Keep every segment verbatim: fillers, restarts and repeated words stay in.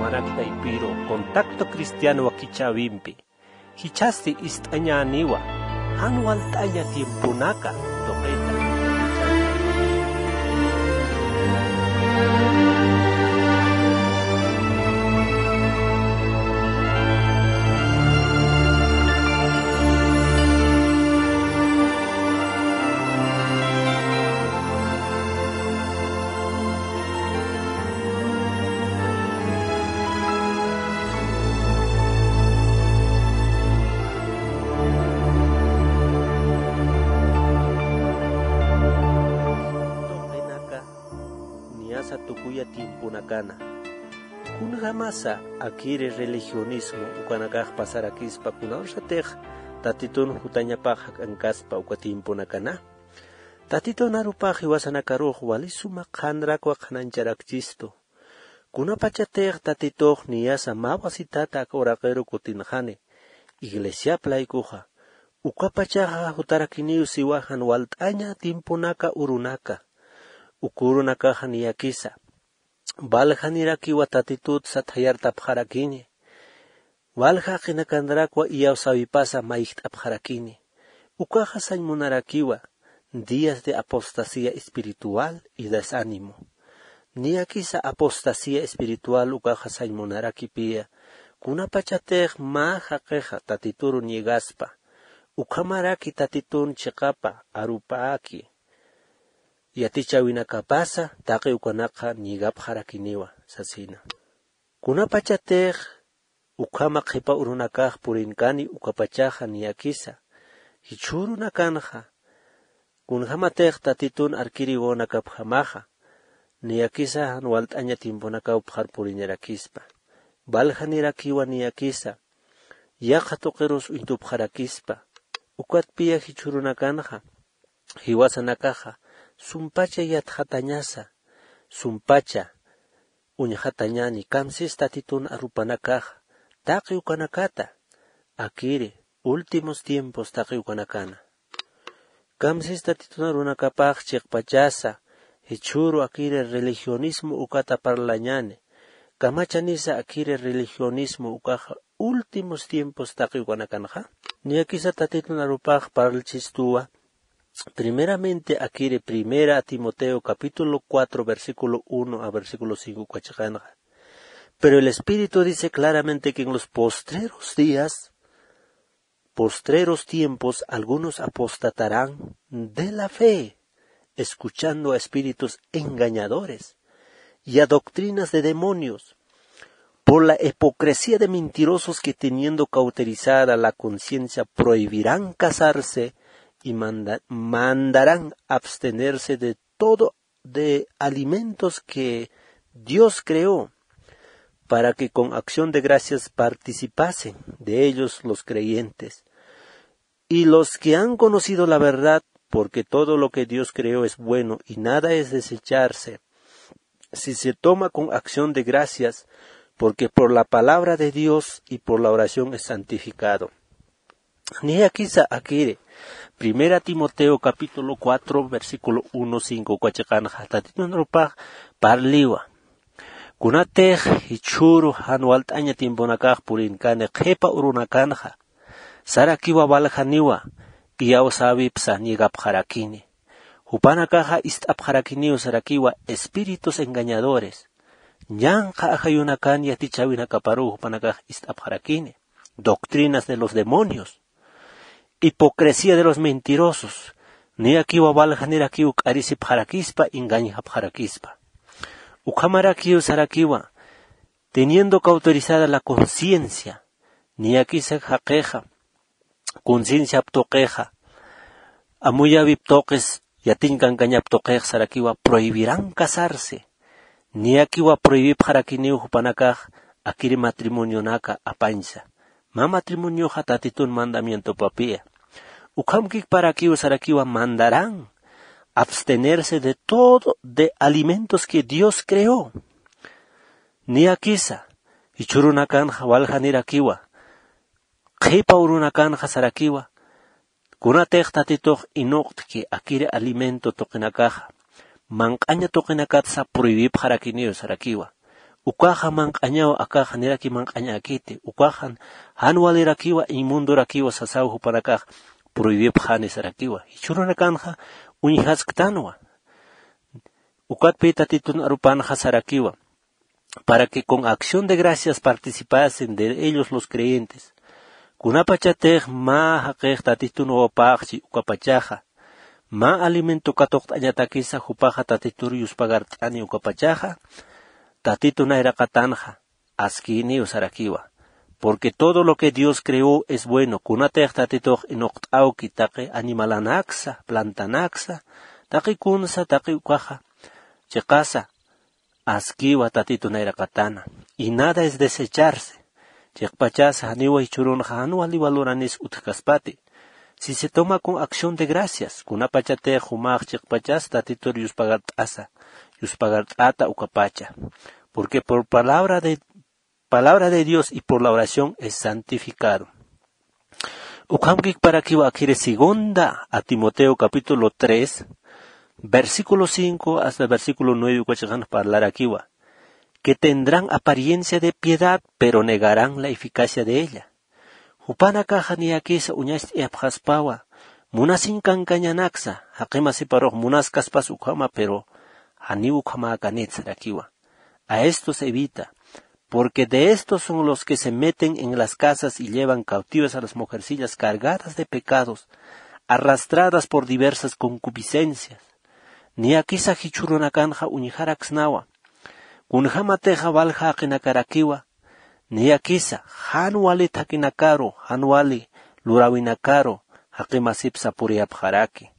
Manak taypiru contacto cristiano wakichäwimpi jichhasti ist'añäniwa jan walt'aña tiemponaka tuqita. Tuqinaka niyasa tukuya tiemponakana. Kunjamasa akiri religionismo ukanakax pasarakispa, kunawsatix Tatitun jutañapax jak'ankaspa uka tiemponakana. Tatitun arupax jiwasanakarux wali suma qhanrakwa qhanañcharakchistu. Kunapachatix Tatitux niyasa mä wasitata aka uraqiru kutinxani iglesiap laykuxa, ukapachaxa jutarakiniw siwa jan walt'aña tiemponaka urunaka. Uka urunakaxa niyakisa valjanirakiwa Tatitut sathayartapxarakini. Walja jaqinakanrakwa iyawsäwipasa mayjt'apxarakini. Ukaxa sañ munarakiwa días de apostasía espiritual y desánimo. Niyakisa apostasía espiritual ukaxa sañ munarakipiya, kunapachatix mä jaqixa Tatituru niegaspa, ukhamaraki Tatitun chiqapa arupäki yatichäwinakapasa taqi ukanakxa niegapxarakiniwa sasina. Kunapachatix ukhama qhipa urunakax purinkani ukapachaxa niyakisa, jichhürunakanxa kunjamatix Tatitun arkiri wawanakapjamaxa, niyakisa jan walt'aña tiemponakawpxar puriñarakispa. Valjanirakiwa niyakisa yaqha tuqirus uñtupxarakispa. Ukatpiya jichhürunakanxa jiwasanakaxa sumpacha yatxatañasa, sumpacha uñjatañani, kamsis Tatitun arupanakaxa taqi ukanakata akiri últimos tiempos taqi ukanakana. Kamsis Tatitun arunakapax chiqpachasa jichhüru akiri religionismo ukata parlañani, kamachanisa akiri religionismo ukaxa últimos tiempos taqi ukanakanxa. Niyakisa Tatitun arupax parlchistuwa, primeramente akiri Primera Timoteo capítulo cuatro, versículo uno a versículo cinco uka chiqanxa. Pero el Espíritu dice claramente que en los postreros días, postreros tiempos, algunos apostatarán de la fe, escuchando a espíritus engañadores y a doctrinas de demonios, por la hipocresía de mentirosos que, teniendo cauterizada la conciencia, prohibirán casarse y manda-, mandarán abstenerse de todo de alimentos que Dios creó, para que con acción de gracias participasen de ellos los creyentes. Y los que han conocido la verdad, porque todo lo que Dios creó es bueno y nada es desecharse si se toma con acción de gracias, porque por la palabra de Dios y por la oración es santificado. Niyakisa akiri, Primera Timoteo capítulo cuatro, versículo uno, cinco uka chiqanxa, Tatitun arupax parliwa. Kunatix jichhüru jan walt'aña tiemponakax purinkani qhipa urunakanxa, sarakiwa valjaniwa, iyawsäwipsa niegapxarakini. Jupanakaxa ist'apxarakiniw sarakiwa espíritus engañadores. Ñanqha ajayunakan yatichäwinakaparuw jupanakax ist'apxarakini. Doctrinas de los demonios. Hipocresía de los mentirosos. Niyakiwa valjanirakiw k'arisipxarakispa, engañjapxarakispa. Ukhamarakiw sarakiwa, teniendo cauterizada la conciencia. Niyakisa jaqixa concienciap tuqixa, amuyäwip tuqis, yatiñ kankañap tuqix sarakiwa prohibirán casarse. Niyakiwa prohibipxarakiniw jupanakax akiri matrimonionaka apañsa. Mä matrimonioxa Tatitun mandamientopapiya. Ukhamkikparakiw sarakiwa mandarán abstenerse de todo de alimentos que Dios creó. Niyakisa, jichhürunakanxa waljanirakiwa, qhipa urunakanxa sarakiwa, kunatix Tatitux inuqtki akiri alimento tuqinakaxa, manq'aña tuqinakatsa prohibipxarakiniw sarakiwa. Ukaxa manq'añaw, akaxa niraki manq'añäkiti. Ukaxa jan walirakiwa, inmundorakiwa sasaw jupanakax prohibipxani sarakiwa. Jichhürunakanxa uñjasktanwa. Ukatpï Tatitun arupanxa sarakiwa, para que con acción de gracias participasen de ellos los creyentes. Kunapachatix mä jaqix Tatitun wawapäxchi ukapachaxa, mä alimento katuqt'añatakisa jupaxa Tatitur yuspagart'ani ukapachaxa, Tatitu nayraqatanxa askïniw sarakiwa. Porque todo lo que Dios creó es bueno. Kunatix Tatitux inuqt'awki taqi animalanaksa, plantanaksa, taqi kunsa, taqi ukaxa, chiqasa, askiwa Tatitu nayraqatana. Y nada es desecharse. Chiqpachasa janiwa jichhürunxa jan wali valoranis utjkaspati. Si se toma con acción de gracias, kunapachatix jumax chiqpachas Tatitur yuspagart'asa, yuspagart'ata ukapacha. Porque por palabra de, palabra de Dios y por la oración es santificado. Ukham kikparakiwa akiri segunda a Timoteo capítulo tres, versículo cinco hasta versículo nueve ukachaxan parlarakiwa, que tendrán apariencia de piedad, pero negarán la eficacia de ella. Jupanakaxa niyakisa uñacht'ayapxaspawa, munasiñ kankañanaksa, jaqi masiparux munaskaspas ukhama, pero janiw ukhamäkanit sarakiwa. A estos evita, porque de estos son los que se meten en las casas y llevan cautivas a las mujercillas cargadas de pecados, arrastradas por diversas concupiscencias. Niyakisa jichhürunakanxa uñjaraksnawa. Kunjamatixa walja jaqinakarakiwa, niyakisa jan wali thakhinakaru, jan wali luräwinakaru jaqi masip sapuriyapxaraki.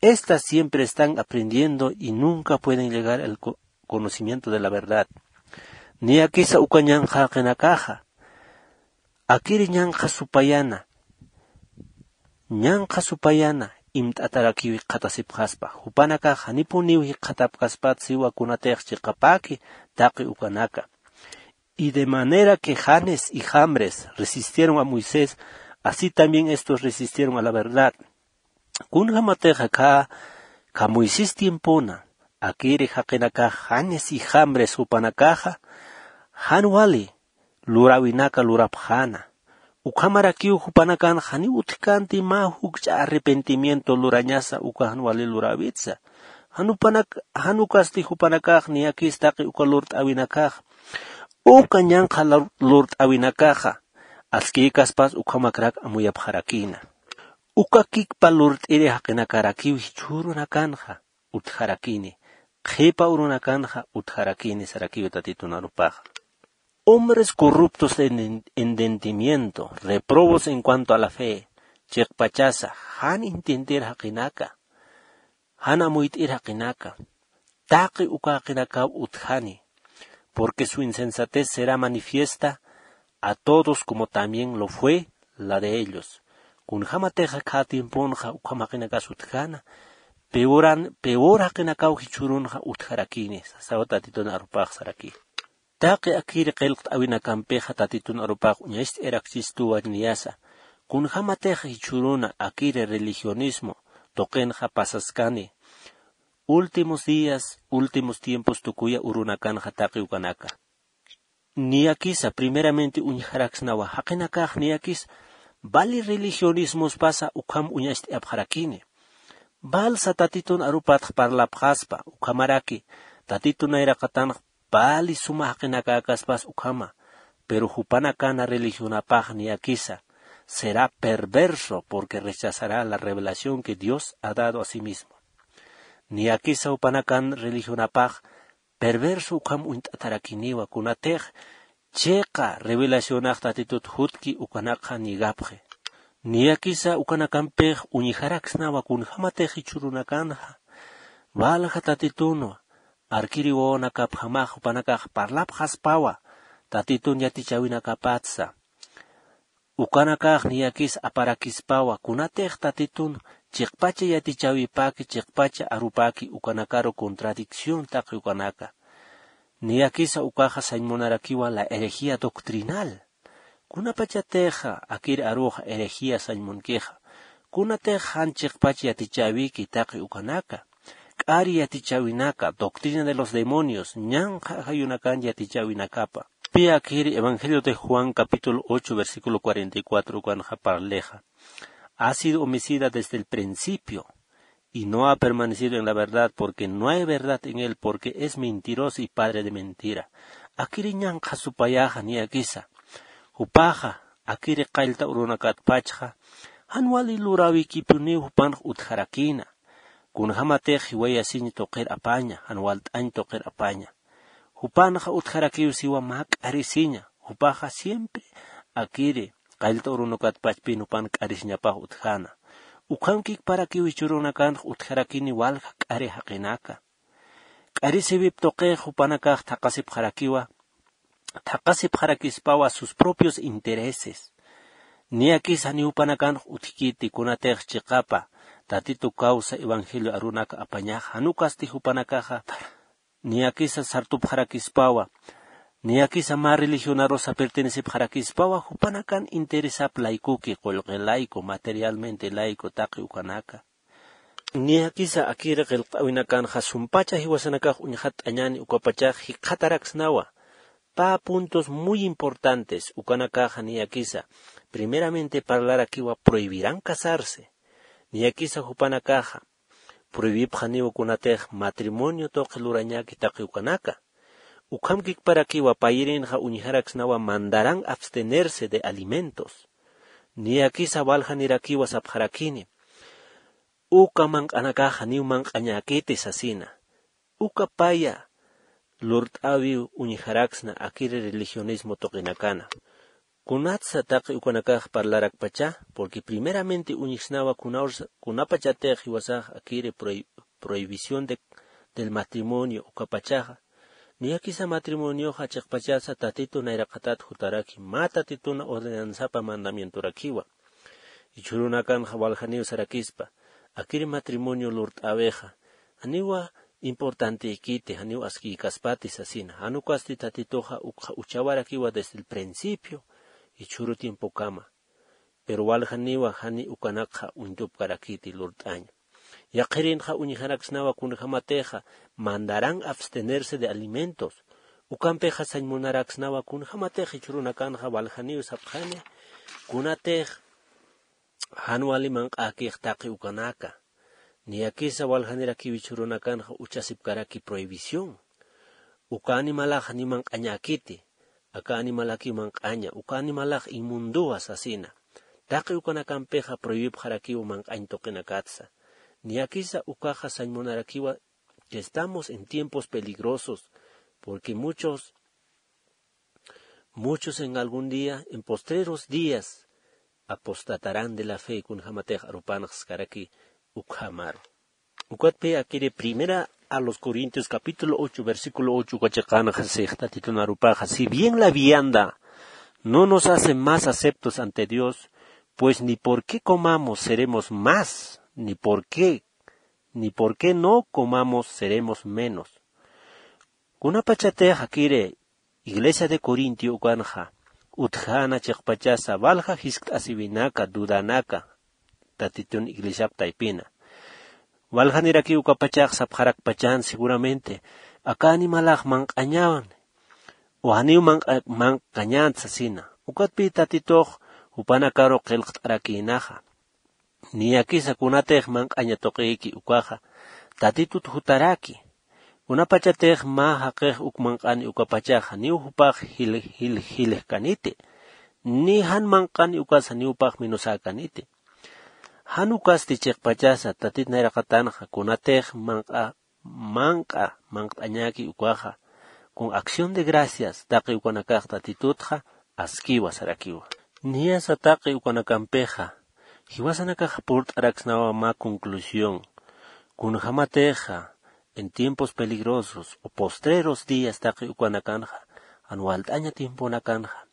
Estas siempre están aprendiendo y nunca pueden llegar al co-, conocimiento de la verdad. Niyakisa uka ñanqha jaqinakaxa, akiri ñanqha supayana, ñanqha supayana imt'atarakiw jikxatasipxaspa. Jupanakax janipuniw jikxatapkaspat siwa kunatix chiqapäki taqi ukanaka. Y de manera que Janes y Jambres resistieron a Moisés, así también estos resistieron a la verdad. Kunjamatix akhä, akhä Moisés tiempona, akiri jaqinakax Janes y Jambres jupanakaxa, jan wali luräwinaka lurapxäna. Ukhamarakiw jupanakan janiw utjkänti mä jukch'a arrepentimiento lurañasa uka jan wali luräwitsa. Jan jupanak-, jan ukasti jupanakax niyakis taqi uka lurt'äwinakax, uka ñanqha lur-, lurt'äwinakaxa, askïkaspas ukhamakrak amuyapxarakïna. Uka kikpa lurt'iri jaqinakarakiw jichhürunakanxa utjarakini, qhipa urunakanxa utjarakini sarakiw Tatitun arupaxa. Hombres corruptos en en-, entendimiento, reprobos en cuanto a la fe, chiqpachasa, jan entiender jaqinaka, jan amuyt'ir jaqinaka, taqi uka jaqinakaw utjani, porque su insensatez será manifiesta a todos como también lo fue la de ellos. Kunjamatix akhä tiemponxa ukham jaqinakas utjäna, peoran, peor jaqinakaw jichhürunxa utjarakini, sasaw Tatitun arupax saraki. Taqi akiri qillqt'äwinakampixa Tatitun arupax uñacht'ayarakchistuwa niyasa, kunjamatix jichhüruna akiri religionismo tuqinxa pasaskani, últimos días, últimos tiempos tukuya urunakanxa taqi ukanaka. Niyakisa primeramente uñjaraksnawa, jaqinakax niyakis vali religionismospasa ukham uñacht'ayapxarakini. Valsa Tatitun arupatx parlapxaspa, ukhamaraki Tatitun nayraqatanx vali suma jaqinakäkaspas ukhama, pero jupanakana religionapax niyakisa será perverso, porque rechazará la revelación que Dios ha dado a sí mismo. Niyakisa jupanakan religionapax perverso ukham uñt'atarakiniwa, kunatix chiqa revelacionax Tatitut jutki ukanakxa niegapxi. Niyakisa ukanakampix uñjaraksnawa, kunjamatix jichhürunakanxa, valja Tatitunwa, arkiri wawanakapjamax jupanakax parlapxaspawa, Tatitun yatichäwinakapatsa. Ukanakax niyakis aparakispawa, kunatix Tatitun chiqpacha yatichäwipaki, chiqpacha arupaki ukanakaru contradicción taqi ukanaka. Niyakisa ukaxa sañ munarakiwa la herejía doctrinal. Kunapachatixa akir aruxa herejía sañ munkixa, kunatix jan chiqpach yatichäwiki taqi ukanaka. k'ari yatichäwinaka, doctrina de los demonios, ñanqha ajayunakan yatichäwinakapa. Pi akiri Evangelio de Juan capítulo ocho versículo cuarenta y cuatro ukanxa parlixa: Ha sido homicida desde el principio, y no ha permanecido en la verdad, porque no hay verdad en él, porque es mentiroso y padre de mentira. Akiri ñanqha supayaxa niyakisa. Jupaxa, akiri qallta urunakatpachxa, jan wali luräwikipuniw jupanx utjarakïna. Kunjämatix jiwayasiñ tuqir apaña, jan walt'añ tuqir apaña. Jupanxa utjarakiw siwa mä k'arisiña, jupaxa siempre akiri qallta urunakatpachpïn jupan k'arisiñapax utjäna. Ukhamkikparakiw jichhürunakanx utjarakini walja k'ari jaqinaka. K'arisiwip tuqix jupanakax thaqasipxarakiwa, thaqasipxarakispawa sus propios intereses. Niyakis janiw jupanakanx utjkiti kunatix chiqapa Tatitu kawsa evangelio arunaka apañax, jan ukasti jupanakaxa niyakisa sartupxarakispawa, niyakisa mä religionarusa pertenecipxarakispawa, jupanakan interesap laykuki, qullqi layku, materialmente layku, taqi ukanaka. Niyakisa akiri qillqt'äwinakanxa sumpacha jiwasanakax uñxatt'añäni ukapachax jikxataraksnawa pä puntos muy importantes ukanakaxa niyakisa. Primeramente parlarakiwa prohibirán casarse. Niyakisa jupanakaxa prohibipxaniwa kunatix matrimonio tuqi lurañäki taqi ukanaka. Ukhamkikparakiwa payirinxa uñjaraksnawa mandarán abstenerse de alimentos. Niyakisa waljanirakiwa sapxarakini uka manq'anakaxa janiw manq'añäkiti sasina. Uka paya lurt'äwiw uñjaraksna akiri religionismo tuqinakana. Kunatsa taqi ukanakax parlarakpacha, porque primeramente uñjsnawa kunapachatix jiwasax akiri prohibición del matrimonio ukapachaxa. Niyakisa matrimonioxa chiqpachasa Tatitu nayraqatat jutaraki, mä Tatituna ordenanzapa mandamientorakiwa. Jichhürunakanxa waljaniw sarakispa, akiri matrimonio lurt'äwixa janiwa importantïkiti, janiw askïkaspati sasina. Jan ukasti Tatituxa ukxa uchawarakiwa desde el principio jichhüru tiempokama. Pero waljaniwa jani ukanakxa uñtupkarakiti lurt'aña. Yaqhirinxa uñjaraksnawa kunjämatixa mandarán abstenerse de alimentos. Ukampixa sañ munaraksnawa kunjämatix jichhürunakanxa waljaniw sapxani kunatix jan wali manq'äkix taqi ukanaka. Niyakisa waljanirakiw jichhürunakanxa uchasipkaraki prohibición. Uka animalax janiw manq'añäkiti. Aka animalakiw manq'aña, uka animalax inmunduwa sasina. Taqi ukanakampixa prohibipxarakiw manq'añ tuqinakatsa. Niyakisa ukaxa sañ munarakiwa que estamos en tiempos peligrosos, porque muchos, muchos en algún día, en postreros días, apostatarán de la fe, kunjämatix arupanxskaraki ukhamaru. Ukatpi akiri primera a los Corintios capítulo ocho, versículo ocho uka chiqanxa six Tatitun arupaxa: Si bien la vianda no nos hace más aceptos ante Dios, pues ni por qué comamos seremos más, ni por qué, ni por qué no comamos seremos menos. Kunapachatix akiri iglesia de Corintio ukanxa utjäna chiqpachasa walja jiskt'asiwinaka, dudanaka Tatitun iglesiap taypina. Waljanirakiw ukapachax sapxarakpachan seguramente aka animalax manq'añäni o janiw manq'añäni sasina. Ukatpï Tatitux jupanakaru qillqt'arakïnaxa. Niyakisa kunatix manq'aña tuqïki ukaxa Tatitut jutaraki. Kunapachatix mä jaqix uk manq'ani ukapachaxa janiw jupax jil jil jiljkaniti, ni jan manq'ani ukasa janiw jupax minusäkaniti. Jan ukasti chiqpachasa Tatit nayraqatanxa kunatix manq'a manq'a manq't'añäki ukaxa con acción de gracias taqi ukanakax Tatitutxa askiwa sarakiwa. Niyasa taqi ukanakampixa jiwasanakax purt'araksnawa mä conclusión. Kunjämatixa en tiempos peligrosos o postreros días taqi ukanakanxa, jan walt'aña tiemponakanxa,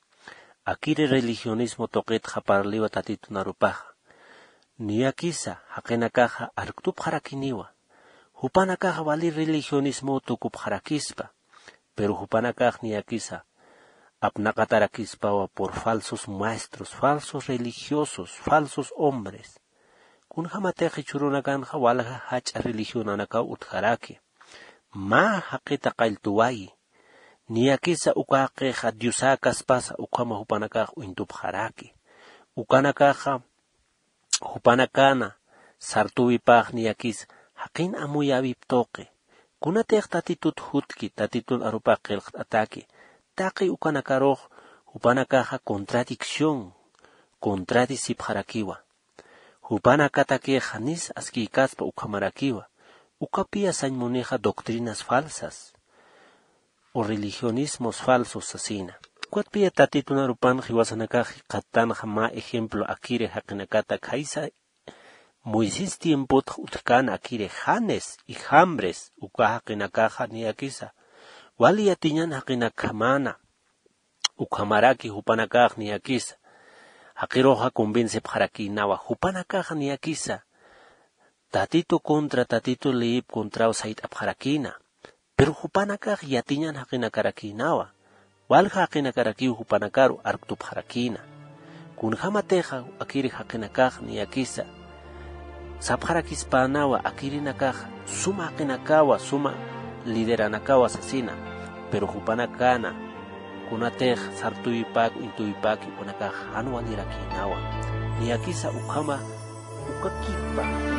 akiri religionismo tuqitxa parliwa Tatitun arupaxa. Niyakisa jaqinakaxa arktupxarakiniwa. Jupanakaxa wali religionismo tukupxarakispa. Pero jupanakax niyakisa apnaqatarakispawa por falsos maestros, falsos religiosos, falsos hombres. Kunjämatix jichhürunakanxa walja jach'a religionanakaw utjaraki. Mä jaqita qalltuwayi. Niyakisa uka jaqixa diosäkaspasa ukhama jupanakax uñtupxaraki. Ukanakaxa jupanakana sartüwipax niyakisa jaqin amuyäwip tuqi. Kunatix tatitut jutki tatitun arupax qillqt'ataki, taqi ukanakarux jupanakaxa contradicción contradicipxarakiwa. Jupanakatakixa janis askïkaspa ukhamarakiwa. Ukapiya sañ munixa doctrinas falsas o religionismos falsos sasina. Ukatpiya tatitun arupan jiwasanakax jikxattanxa mä ejemplo akiri jaqinakata khaysa. Moisés tiempotx utjkän akiri janes y jambres uka jaqinakaxa niyakisa wali yatiñan jaqinakjamana. Ukhamaraki jupanakax niyakisa jaqiruxa convencipxarakïnawa. Jupanakaxa niyakisa tatitu contra tatitu leyip contraw sayt'apxarakïna. Pero jupanakax yatiñan jaqinakarakïnawa. Walja jaqinakarakiw jupanakaru arktupxarakïna. Kunjämatixa akiri jaqinakax niyakisa sapxarakispänawa akirinakaxa suma jaqinakawa suma lideranakawa sasina. Pero jupanakana kunatix sartüwipäki uñtüwipäki jupanakax jan walirakïnawa. Niyakisa ukhama ukakipa